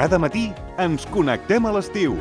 Cada matí ens connectem a l'estiu.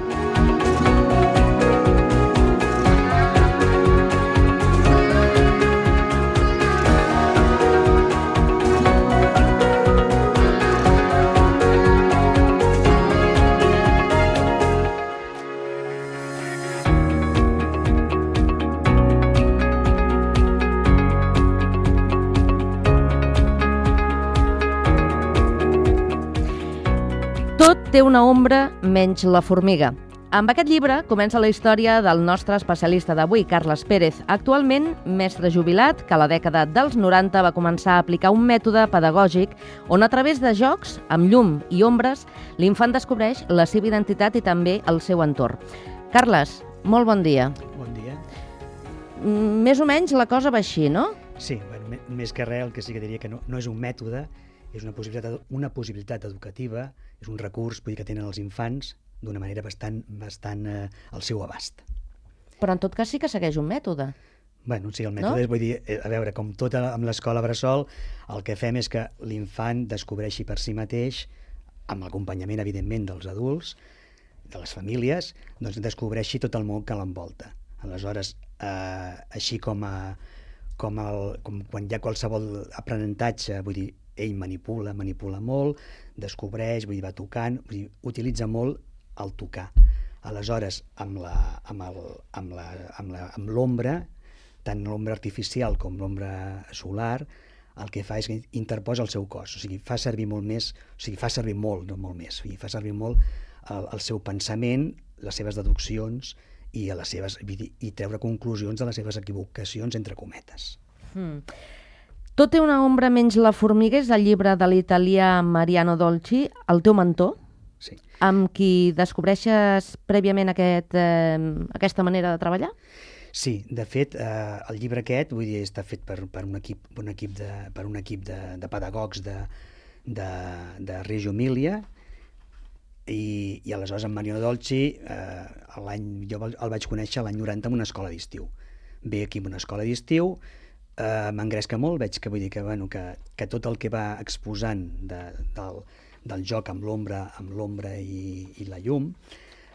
Tot té una ombra menys la formiga. Amb aquest llibre comença la història del nostre especialista d'avui, Carles Pérez, actualment mestre jubilat que a la dècada dels 90 va començar a aplicar un mètode pedagògic on a través de jocs, amb llum i ombres, l'infant descobreix la seva identitat i també el seu entorn. Carles, molt bon dia. Bon dia. Més o menys la cosa va així, no? Sí, bueno, més que res, el que sí que diria que no és un mètode, és una possibilitat educativa, és un recurs que tenen els infants d'una manera bastant al seu abast. Però en tot cas sí que segueix un mètode. Bueno, sí, el mètode és, vull dir, a veure, com tot amb l'escola bressol, el que fem és que l'infant descobreixi per si mateix, amb l'acompanyament, evidentment, dels adults, de les famílies, doncs descobreixi tot el món que l'envolta. Aleshores, així com quan hi ha qualsevol aprenentatge, vull dir, ell manipula molt, descobreix, vull dir, va tocant, vull dir, utilitza molt el tocar. Aleshores, amb l'ombra, tant l'ombra artificial com l'ombra solar, el que fa és que interposa el seu cos, o sigui, fa servir molt el seu pensament, les seves deduccions i treure conclusions de les seves equivocacions, entre cometes. Tot té una ombra menys la formiga és el llibre de l'italià Mariano Dolci, el teu mentor, sí, amb qui descobreixes prèviament aquesta manera de treballar? Sí, de fet, el llibre aquest, vull dir, està fet per un equip de pedagogs de Reggio Emilia, i aleshores en Mariano Dolci, jo el vaig conèixer l'any 90 en una escola d'estiu. Ve aquí en una escola d'estiu, m'engresca molt, veig que tot el que va exposant del joc amb l'ombra i la llum,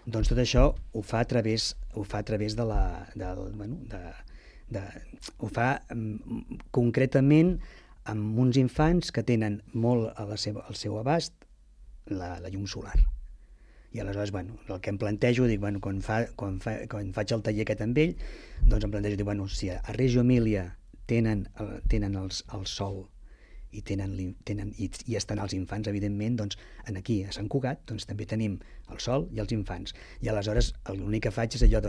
doncs tot això ho fa a través ho fa concretament amb uns infants que tenen molt al seu abast la llum solar. I aleshores, el que em plantejo, quan faig el taller aquest amb ell, doncs em plantejo, si a Reggio Emilia tenen el sol i estan els infants, evidentment, doncs aquí a Sant Cugat també tenim el sol i els infants. I aleshores l'únic que faig és allò,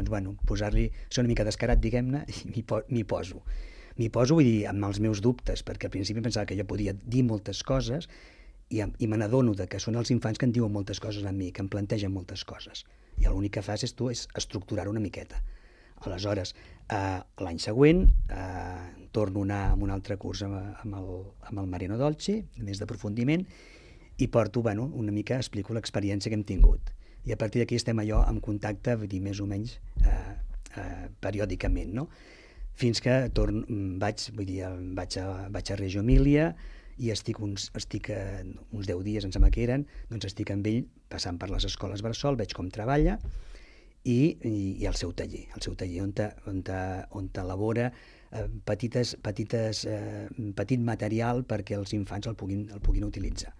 posar-li, ser una mica descarat, diguem-ne, i m'hi poso. Vull dir, amb els meus dubtes, perquè al principi pensava que jo podia dir moltes coses i me n'adono que són els infants que em diuen moltes coses a mi, que em plantegen moltes coses. I l'únic que fas és estructurar una miqueta. Aleshores, l'any següent torno a anar a un altre curs amb el Mariano Dolci, més d'aprofundiment, i porto, una mica explico l'experiència que hem tingut. I a partir d'aquí estem allò en contacte, vull dir, més o menys periòdicament, no? Fins que vaig a Reggio Emilia i estic uns 10 dies, em sembla que eren, doncs estic amb ell passant per les escoles bressol, veig com treballa, i el seu taller on elabora petit material perquè els infants el puguin utilitzar.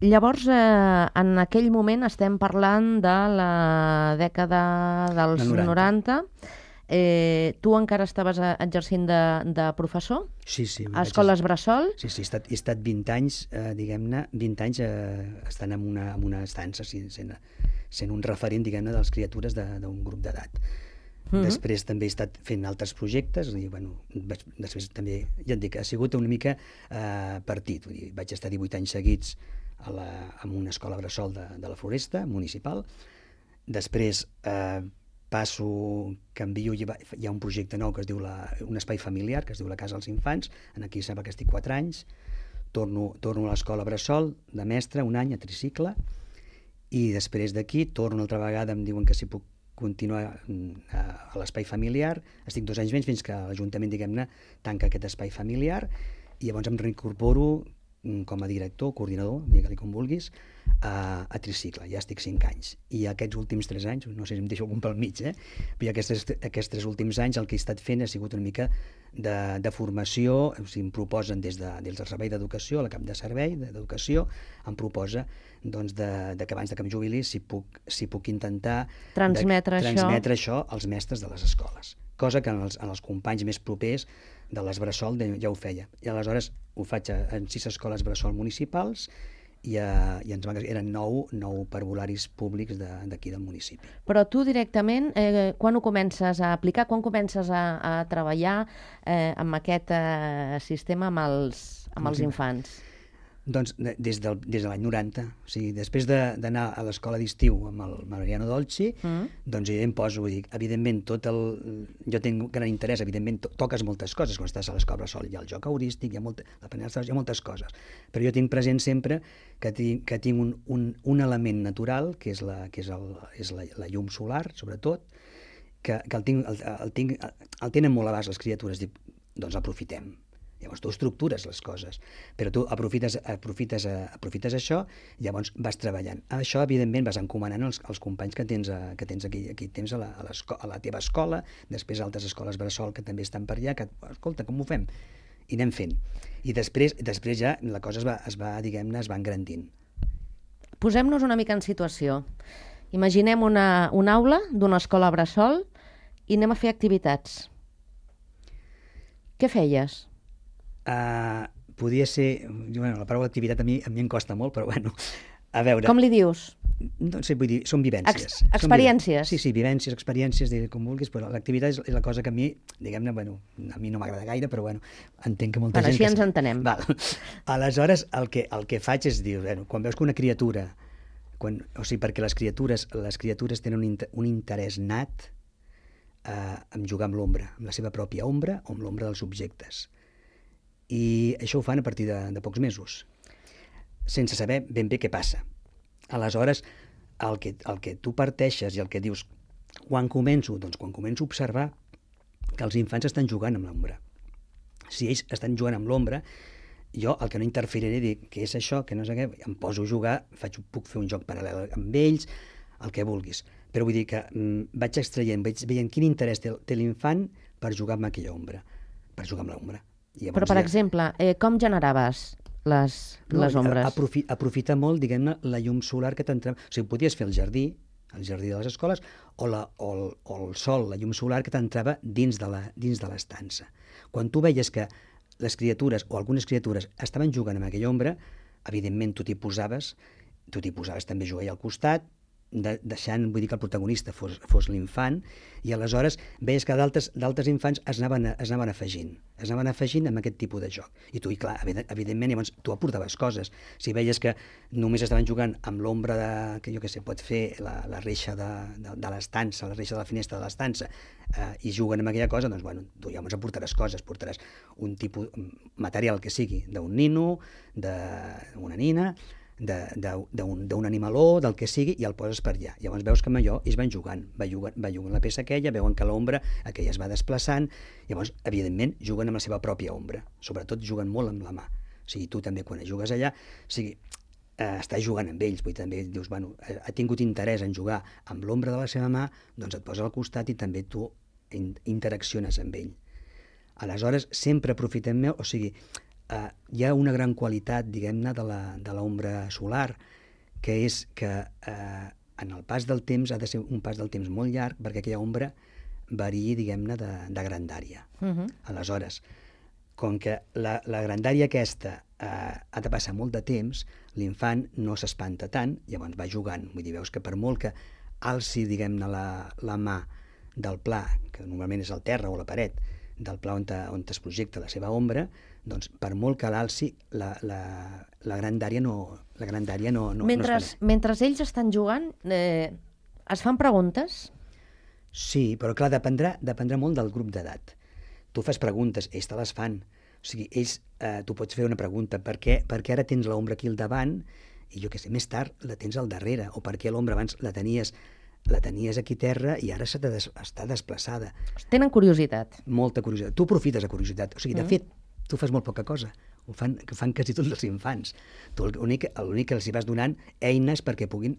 Llavors, en aquell moment estem parlant de la dècada dels 90. Tu encara estaves exercint de professor? Sí. A escoles bressol? Sí, he estat 20 anys, diguem-ne, 20 anys estant en una estança, sent un referent, diguem-ne, de les criatures d'un grup d'edat. Després també he estat fent altres projectes, després també, ja et dic, ha sigut una mica partit. Vaig estar 18 anys seguits en una escola bressol de la Floresta, municipal. Després canvio, hi ha un projecte nou que es diu un espai familiar, que es diu la Casa dels Infants, aquí sembla que estic 4 anys, torno a l'escola bressol de mestre, un any a tricicle, i després d'aquí torno una altra vegada, em diuen que si puc continuar a l'espai familiar, estic 2 anys menys fins que l'Ajuntament, diguem-ne, tanca aquest espai familiar, i llavors em reincorporo com a director, coordinador, digue-li com vulguis, a Tricicle. Ja estic 5 anys. I aquests últims 3 anys, no sé si em deixo algun pel mig, però aquests 3 últims anys el que he estat fent ha sigut una mica de formació. O sigui, em proposen des del servei d'educació, a la cap de servei d'educació, em proposa doncs, que abans que em jubili si puc intentar transmetre això als mestres de les escoles, cosa que en els companys més propers de les Bressol ja ho feia. I aleshores ho faig en 6 escoles Bressol municipals i eren 9 parvularis públics d'aquí del municipi. Però tu directament, quan ho comences a aplicar, quan comences a treballar amb aquest sistema amb els infants? Doncs des de l'any 90, o sigui, després d'anar a l'escola d'estiu amb el Mariano Dolci, doncs jo em poso, evidentment, jo tinc gran interès, evidentment, toques moltes coses, quan estàs a l'escola Bressol hi ha el joc heurístic, hi ha moltes coses, però jo tinc present sempre que tinc un element natural, que és la llum solar, sobretot, que el tenen molt a base les criatures, dic, doncs aprofitem. Llavors tu estructures les coses, però tu aprofites això i llavors vas treballant. Això, evidentment, vas encomanant els companys que tens aquí tens a la teva escola, després altres escoles Bressol que també estan per allà, que, escolta, com ho fem? I anem fent. I després ja la cosa es va engrandint. Posem-nos una mica en situació. Imaginem una aula d'una escola Bressol i anem a fer activitats. Què feies? Podia ser... Bueno, la paraula activitat a mi em costa molt, però bueno, a veure... Com li dius? No sé, vull dir, són vivències. Experiències? Sí, vivències, experiències, com vulguis, però l'activitat és la cosa que a mi, diguem-ne, bueno, a mi no m'agrada gaire, però bueno, entenc que molta gent... Així ens entenem. Val. Aleshores, el que faig és dir, bueno, quan veus que una criatura... O sigui, perquè les criatures tenen un interès nat en jugar amb l'ombra, amb la seva pròpia ombra o amb l'ombra dels objectes. I això ho fan a partir de pocs mesos, sense saber ben bé què passa. Aleshores, el que tu parteixes i el que dius, quan començo? Doncs quan començo a observar que els infants estan jugant amb l'ombra. Si ells estan jugant amb l'ombra, jo el que no interferiré, dic, què és això, que no sé què, em poso a jugar, puc fer un joc paral·lel amb ells, el que vulguis. Però vull dir que vaig extraient, vaig veient quin interès té l'infant per jugar amb aquella ombra, per jugar amb l'ombra. Però, per exemple, com generaves les ombres? Aprofita molt, diguem-ne, la llum solar que t'entrava. O sigui, podies fer el jardí de les escoles, o el sol, la llum solar que t'entrava dins de l'estança. Quan tu veies que les criatures, o algunes criatures, estaven jugant amb aquella ombra, evidentment tu t'hi posaves també a jugar al costat, deixant, vull dir, que el protagonista fos l'infant, i aleshores veies que d'altres infants es anaven afegint amb aquest tipus de joc. I tu, clar, evidentment, llavors tu aportaves coses. Si veies que només estaven jugant amb l'ombra que jo què sé, pot fer la reixa de l'estança, la reixa de la finestra de l'estança, i juguen amb aquella cosa, doncs, bueno, tu llavors aportaràs coses, portaràs un tipus material que sigui d'un nino, d'una nina, d'un animaló, del que sigui, i el poses per allà. Llavors veus que amb allò ells van jugant la peça aquella, veuen que l'ombra aquella es va desplaçant, llavors, evidentment, juguen amb la seva pròpia ombra. Sobretot juguen molt amb la mà. O sigui, tu també, quan jugues allà, o sigui, estàs jugant amb ells, vull dir, també dius, bueno, ha tingut interès en jugar amb l'ombra de la seva mà, doncs et posa al costat i també tu interacciones amb ell. Aleshores, sempre aprofitem o sigui, hi ha una gran qualitat, diguem-ne, de l'ombra solar, que és que en el pas del temps ha de ser un pas del temps molt llarg perquè aquella ombra variï, diguem-ne, de grandària. Aleshores, com que la grandària aquesta ha de passar molt de temps, l'infant no s'espanta tant, llavors va jugant. Vull dir, veus que per molt que alci, diguem-ne, la mà del pla, que normalment és el terra o la paret, del pla on es projecta la seva ombra, doncs per molt que l'alci, la grandària no es Mentre ells estan jugant, es fan preguntes? Sí, però clar, dependrà molt del grup d'edat. Tu fas preguntes, ells te les fan. O sigui, tu pots fer una pregunta, per què ara tens l'ombra aquí al davant i jo què sé, més tard la tens al darrere, o per què l'ombra abans la tenies aquí a terra i ara està desplaçada. Tenen curiositat. Molta curiositat. Tu aprofites la curiositat. O sigui, de fet, tu fas molt poca cosa. que fan quasi tots els infants. Tu l'únic que els hi vas donant eines perquè puguin,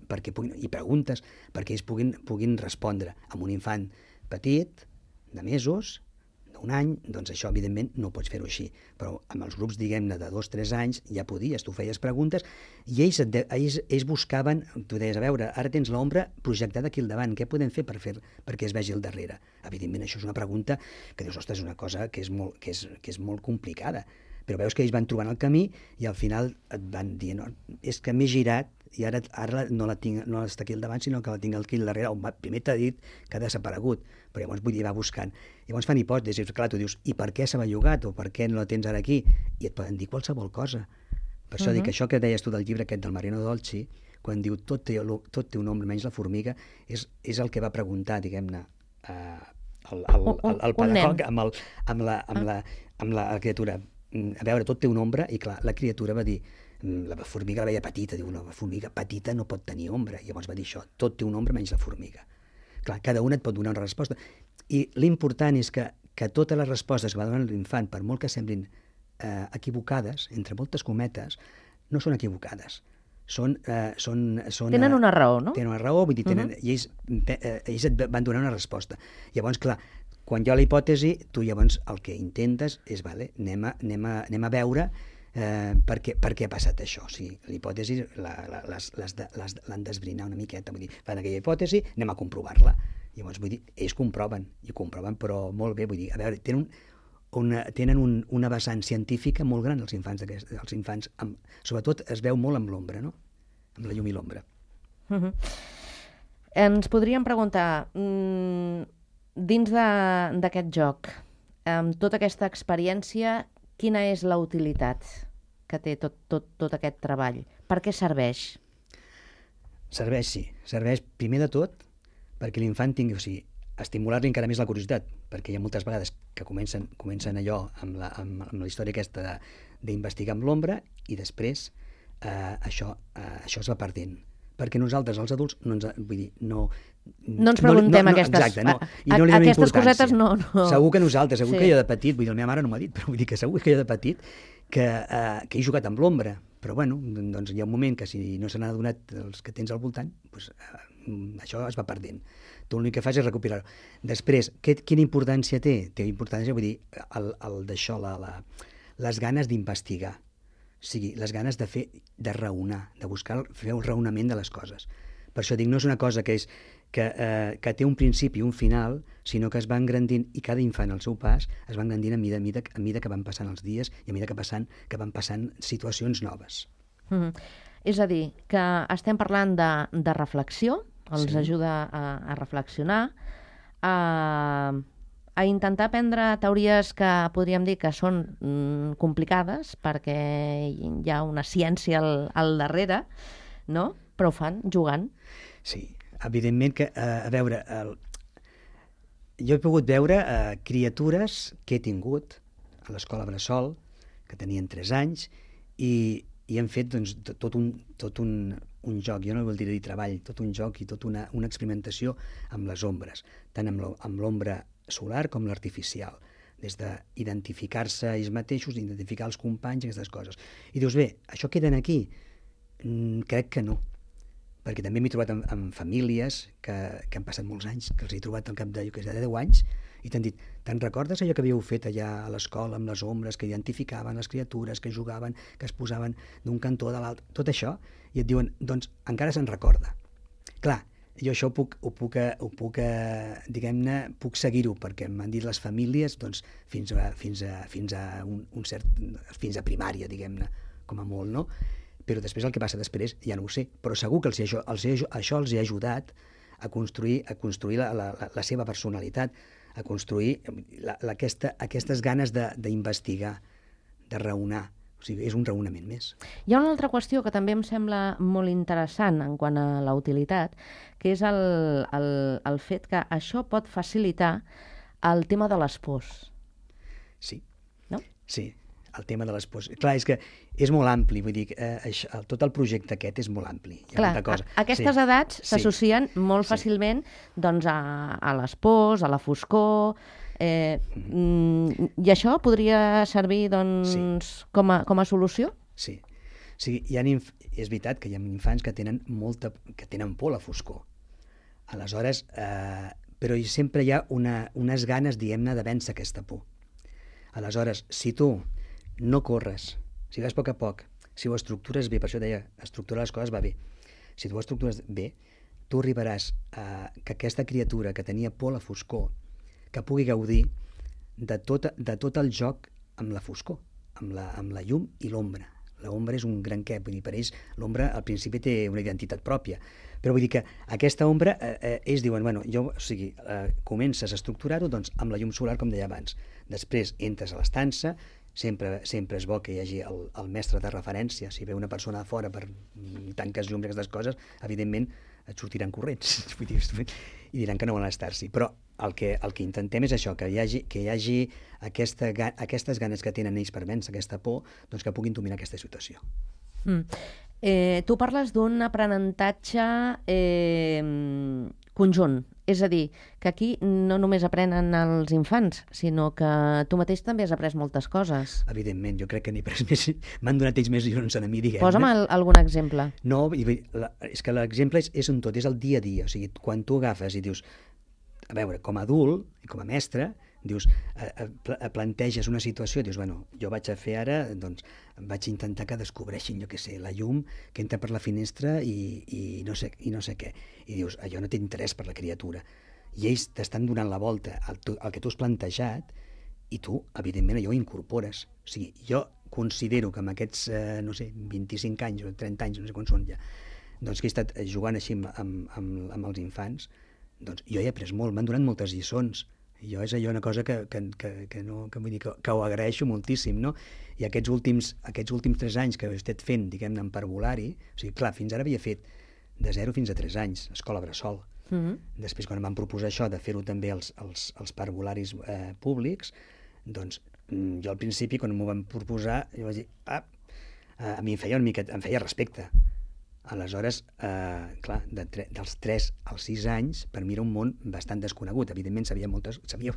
i preguntes, perquè ells puguin respondre. Amb un infant petit, de mesos, d'un any, doncs això, evidentment, no pots fer-ho així. Però amb els grups, diguem-ne, de 2 o 3 anys, ja podies, tu feies preguntes, i ells buscaven, tu deies, a veure, ara tens l'ombra projectada aquí al davant, què podem fer perquè es vegi al darrere? Evidentment, això és una pregunta que dius, ostres, és una cosa que és molt complicada. Però veus que ells van trobant el camí i al final et van dir, no, és que m'he girat i ara no està aquí al davant, sinó que la tinc aquí al darrere. Primer t'ha dit que ha desaparegut, però llavors vull dir, va buscant. Llavors fan hipòtesis, clar, tu dius, i per què s'ha bellugat o per què no la tens ara aquí? I et poden dir qualsevol cosa. Per això dic que això que deies tu del llibre aquest del Mariano Dolci, quan diu tot té un nombre menys la formiga, és el que va preguntar, diguem-ne, el pedagog amb la criatura. A veure, tot té una ombra, i clar, la criatura va dir, la formiga la veia petita, diu, la formiga petita no pot tenir ombra, i llavors va dir això, tot té una ombra menys la formiga. Clar, cada una et pot donar una resposta, i l'important és que totes les respostes que va donar l'infant, per molt que semblin equivocades, entre moltes cometes, no són equivocades. Tenen una raó, no? Tenen una raó, vull dir, i ells et van donar una resposta. Llavors, clar, quan hi ha la hipòtesi, tu llavors el que intentes és, vale, anem a veure per què ha passat això. O sigui, la hipòtesi l'han d'esbrinar una miqueta. Vull dir, fan aquella hipòtesi, anem a comprovar-la. Llavors, vull dir, ells comproven, però molt bé. Vull dir, a veure, tenen una vessant científica molt gran, els infants. Sobretot es veu molt amb l'ombra, no? Amb la llum i l'ombra. Ens podríem preguntar, dins d'aquest joc, amb tota aquesta experiència, quina és la utilitat que té tot aquest treball? Per què serveix? Serveix primer de tot perquè l'infant tingui, o sigui, estimular-li encara més la curiositat, perquè hi ha moltes vegades que comencen allò amb la història aquesta d'investigar amb l'ombra i després això es va perdent. Perquè nosaltres, els adults, no ens preguntem aquestes cosetes. Segur que nosaltres, segur que jo de petit, vull dir, la meva mare no m'ha dit, però vull dir que segur que jo de petit que he jugat amb l'ombra, però bueno, doncs hi ha un moment que si no se n'ha adonat els que tens al voltant, doncs això es va perdent. Tu l'únic que fas és recuperar-ho. Després, quina importància té? Té importància, vull dir, d'això, les ganes d'investigar. O sigui, les ganes de raonar, de fer un raonament de les coses. Per això dic, no és una cosa que té un principi i un final, sinó que es va engrandint, i cada infant al seu pas es va engrandint a mida que van passant els dies i a mida que van passant situacions noves. És a dir, que estem parlant de reflexió, els ajuda a reflexionar, a intentar aprendre teories que podríem dir que són complicades perquè hi ha una ciència al darrere, no? Però ho fan jugant. Sí, evidentment que, a veure, jo he pogut veure criatures que he tingut a l'escola Bressol, que tenien 3 anys, i han fet doncs, tot un joc, jo no vull dir treball, tot un joc i tota una experimentació amb les ombres, tant amb l'ombra solar com l'artificial, des d'identificar-se ells mateixos, identificar els companys, aquestes coses. I dius, bé, això queden aquí? Crec que no, perquè també m'he trobat amb famílies que han passat molts anys, que els he trobat al cap de 10 anys, i t'han dit, te'n recordes allò que havíeu fet allà a l'escola amb les ombres, que identificaven les criatures, que jugaven, que es posaven d'un cantó a l'altre, tot això, i et diuen, doncs encara se'n recorda. Clar, jo això ho puc diguem-ne, puc seguir-ho, perquè m'han dit les famílies doncs, fins a primària, diguem-ne, com a molt, no? Però després el que passa després ja no ho sé, però segur que això els ha ajudat a construir la seva personalitat, a construir aquestes ganes d'investigar, de raonar. O sigui, és un raonament més. Hi ha una altra qüestió que també em sembla molt interessant en quant a la utilitat, que és el fet que això pot facilitar el tema de les pors. Sí. No? Sí, el tema de les pors. Clar, és que és molt ampli, vull dir, tot el projecte aquest és molt ampli. Clar, aquestes edats s'associen molt fàcilment doncs, a les pors, a la foscor, I això podria servir doncs, com a solució? Sí. O sigui, és veritat que hi ha infants que tenen por a la foscor. Aleshores, però sempre hi ha unes ganes, diguem-ne, de vèncer aquesta por. Aleshores, si tu no corres, si vas a poc, si ho estructures bé, per això deia, estructurar les coses va bé. Si tu ho estructures bé, tu arribaràs que aquesta criatura que tenia por a la foscor, que pugui gaudir de tot el joc amb la foscor, amb la llum i l'ombra. L'ombra és un gran què, vull dir, per ells l'ombra al principi té una identitat pròpia, però vull dir que aquesta ombra, ells diuen, bueno, comences a estructurar-ho doncs, amb la llum solar, com deia abans. Després entres a l'estança, sempre és bo que hi hagi el mestre de referència. Si ve una persona de fora per tanques llums i aquestes coses, evidentment et sortiran corrents i diran que no volen estar-s'hi. Però el que intentem és això, que hi hagi aquestes ganes que tenen ells per vèncer aquesta por, doncs que puguin dominar aquesta situació. Tu parles d'un aprenentatge conjunt, és a dir, que aquí no només aprenen els infants, sinó que tu mateix també has après moltes coses. Evidentment, jo crec que n'he après més, m'han donat ells més lliçons a mi, diguem-ne. Posa'm algun exemple. No, és que l'exemple és un tot, és el dia a dia, o sigui, quan tu agafes i dius, a veure, com a adult i com a mestre, dius, planteges una situació, dius, bueno, jo vaig a fer ara, doncs, vaig intentar que descobreixin, jo què sé, la llum que entra per la finestra i no sé què. I dius, allò no té interès per la criatura. I ells t'estan donant la volta al que tu has plantejat i tu, evidentment, allò ho incorpores. O sigui, jo considero que amb aquests, 25 anys o 30 anys, no sé quan són ja, doncs que he estat jugant així amb els infants, doncs jo he après molt, m'han donat moltes lliçons. Jo és allò una cosa que vull dir que ho agraeixo moltíssim, no? I aquests últims 3 anys que he estat fent, diguem-ne, en parvulari, o sigui, clar, fins ara havia fet de 0 fins a 3 anys, escola bressol. Després, quan em van proposar això de fer-ho també als parvularis públics, doncs jo al principi, quan m'ho van proposar, jo vaig dir, a mi em feia respecte. Aleshores, clar, dels 3 als 6 anys, per mi era un món bastant desconegut. Evidentment sabia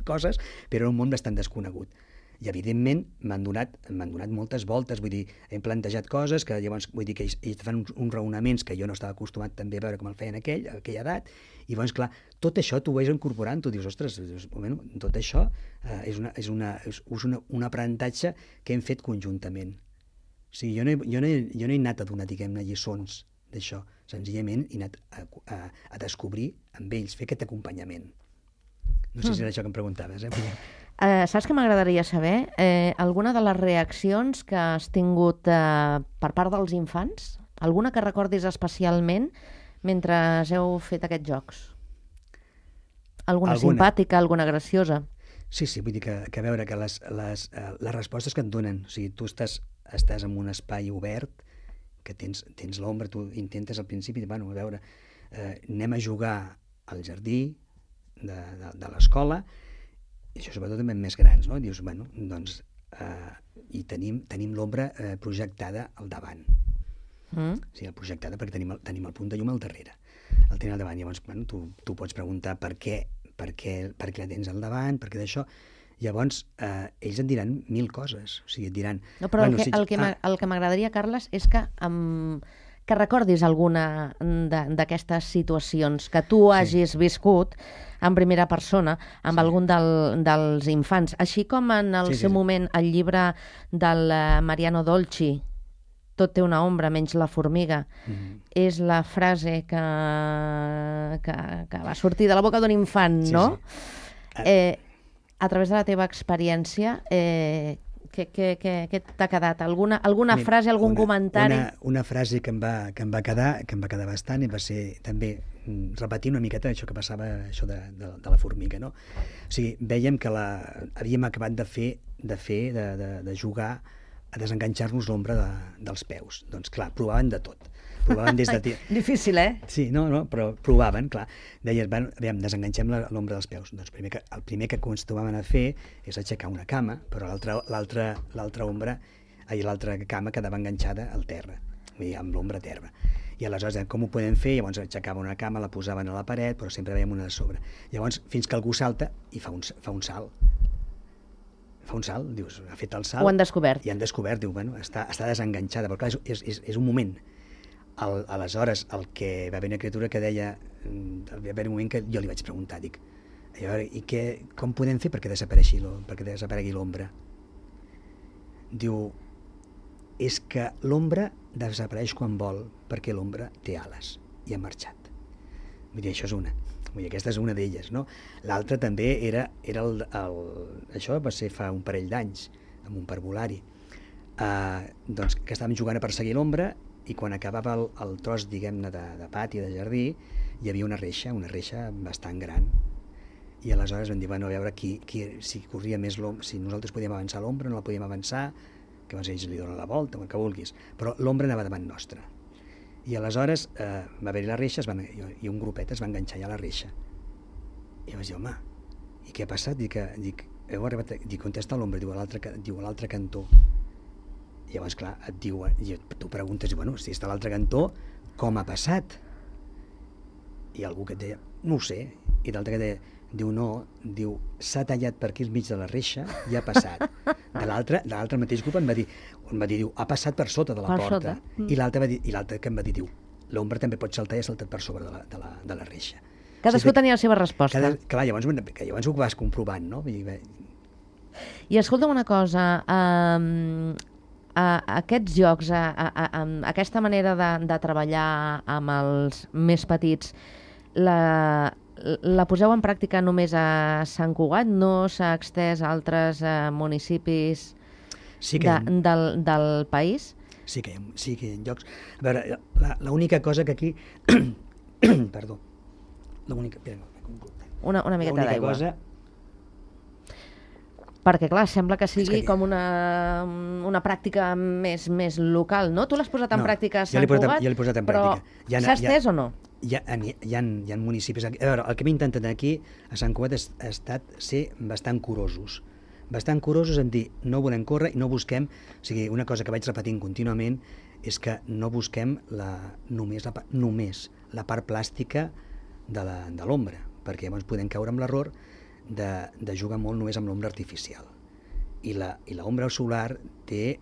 coses, però era un món bastant desconegut. I evidentment m'han donat moltes voltes, vull dir, hem plantejat coses que llavors, vull dir que ells fan uns raonaments que jo no estava acostumat també a veure com el feien a aquella edat, i llavors, clar, tot això tu ho vas incorporant, tu dius, ostres, tot això és un aprenentatge que hem fet conjuntament. O sigui, jo no he anat a donar, diguem-ne, lliçons d'això, senzillament he anat a descobrir amb ells, fer aquest acompanyament. No sé si era això que em preguntaves. Saps què m'agradaria saber? Alguna de les reaccions que has tingut per part dels infants? Alguna que recordis especialment mentre heu fet aquests jocs? Alguna simpàtica, alguna graciosa? Sí, vull dir que a veure que les respostes que et donen, o sigui, tu estàs en un espai obert, que tens l'ombra, tu intentes al principi, bueno, a veure, anem a jugar al jardí de l'escola, i això sobretot també més grans, no? Dius, bueno, doncs, i tenim l'ombra projectada al davant. O sigui, projectada perquè tenim el punt de llum al darrere. El tenim al davant, llavors, bueno, tu pots preguntar per què la tens al davant, per què d'això. Llavors, ells et diran 1000 coses. O sigui, et diran... No, però el que m'agradaria, Carles, és que recordis alguna d'aquestes situacions que tu hagis viscut en primera persona amb algun dels infants. Així com en el seu moment el llibre del Mariano Dolci, Tot té una ombra menys la formiga, és la frase que va sortir de la boca d'un infant, no? A través de la teva experiència, què t'ha quedat? Alguna frase, algun comentari? Una frase que em va quedar bastant i va ser també repetir una miqueta això que passava, això de la formiga, no? O sigui, vèiem que havíem acabat de jugar a desenganxar-nos l'ombra dels peus. Doncs clar, provaven de tot. Provaven des de... Difícil, eh? Sí, no, però provaven, clar. Deien, aviam, desenganxem l'ombra dels peus. Doncs el primer que acostumaven a fer és aixecar una cama, però l'altra cama quedava enganxada al terra, vull dir, amb l'ombra a terra. I aleshores, com ho podem fer? Llavors aixecaven una cama, la posaven a la paret, però sempre veiem una de sobre. Llavors, fins que algú salta i fa un salt. fa un salt, dius, ha fet el salt. Ho han descobert. I han descobert, diu, bueno, està desenganxada, però clar, és un moment. Aleshores, el que va haver una criatura que deia, va haver un moment que jo li vaig preguntar, dic, a veure, com podem fer perquè desaparegui l'ombra? Diu, és que l'ombra desapareix quan vol, perquè l'ombra té ales i ha marxat. Vull dir, això és una. Vull dir, aquesta és una d'elles, no? L'altra també era això va ser fa un parell d'anys, amb un parvulari, doncs que estàvem jugant a perseguir l'ombra i quan acabava el tros, diguem-ne, de pati, de jardí, hi havia una reixa bastant gran. I aleshores vam dir, bueno, a veure si corria més l'ombra, si nosaltres podíem avançar l'ombra, no la podíem avançar, que ells li donen la volta, el que vulguis, però l'ombra anava davant nostra. I aleshores va haver-hi la reixa i un grupet es va enganxar ja a la reixa. I vaig dir, home, i què ha passat? Dic, on està l'ombra? Diu, a l'altre cantó. I llavors, clar, tu preguntes, bueno, si està a l'altre cantó, com ha passat? I algú que et deia, no ho sé. I l'altre que deia, diu, no, s'ha tallat per aquí al mig de la reixa i ha passat. De l'altre mateix grup em va dir, diu, ha passat per sota de la porta. I l'altre que em va dir, diu, l'ombra també pot saltar i ha saltat per sobre de la reixa. Cadascú tenia la seva resposta. Clar, llavors ho vas comprovant, no? I escolta'm una cosa, aquests jocs, aquesta manera de treballar amb els més petits, la poseu en pràctica només a Sant Cugat? No s'ha extès a altres municipis del país? Sí que hi ha jocs. A veure, l'única cosa que aquí... Perdó. Una miqueta d'aigua. Perquè, clar, sembla que sigui com una pràctica més local, no? Tu l'has posat en pràctica a Sant Cugat, jo l'he posat en pràctica. Però s'ha estès o no? Hi ha municipis... A veure, el que hem intentat aquí, a Sant Cugat, ha estat ser bastant curosos. Bastant curosos en dir, no volem córrer i no busquem... O sigui, una cosa que vaig repetint contínuament és que no busquem només la part plàstica de l'ombra, perquè llavors podem caure amb l'error de jugar molt només amb l'ombra artificial. I l'ombra solar té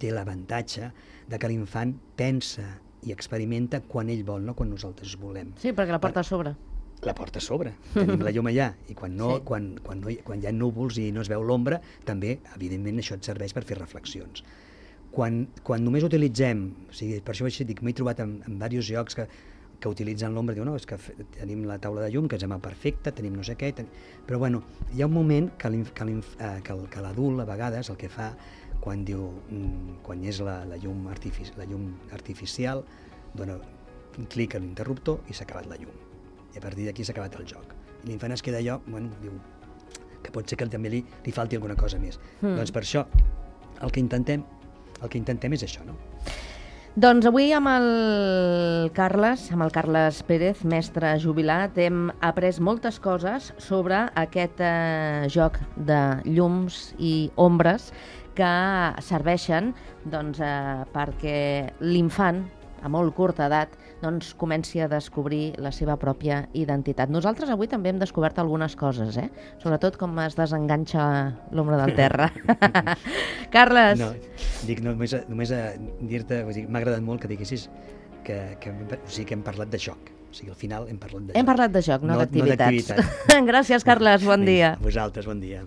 l'avantatge de que l'infant pensa i experimenta quan ell vol, no quan nosaltres volem. Sí, perquè la porta a sobre. La porta a sobre. Tenim la llum allà. I quan hi ha núvols i no es veu l'ombra, també, evidentment, això et serveix per fer reflexions. Quan només utilitzem, o sigui, per això dic, m'he trobat en diversos jocs que utilitzen l'ombra, diu, no, és que tenim la taula de llum, que es llama perfecta, tenim no sé què, però bueno, hi ha un moment que l'adult, a vegades, el que fa, quan és la llum artificial, dona un clic a l'interruptor i s'ha acabat la llum. I a partir d'aquí s'ha acabat el joc. I l'infant es queda allò, bueno, diu, que pot ser que també li falti alguna cosa més. Doncs per això, el que intentem és això, no? Doncs avui amb el Carles Pérez, mestre jubilat, hem après moltes coses sobre aquest joc de llums i ombres que serveixen perquè l'infant, a molt curta edat, comenci a descobrir la seva pròpia identitat. Nosaltres avui també hem descobert algunes coses, sobretot com es desenganxa l'ombra del terra. Carles! No, dic només a dir-te, m'ha agradat molt que diguessis que hem parlat de joc. O sigui, al final hem parlat de joc. Hem parlat de joc, no d'activitats. Gràcies, Carles, bon dia. A vosaltres, bon dia.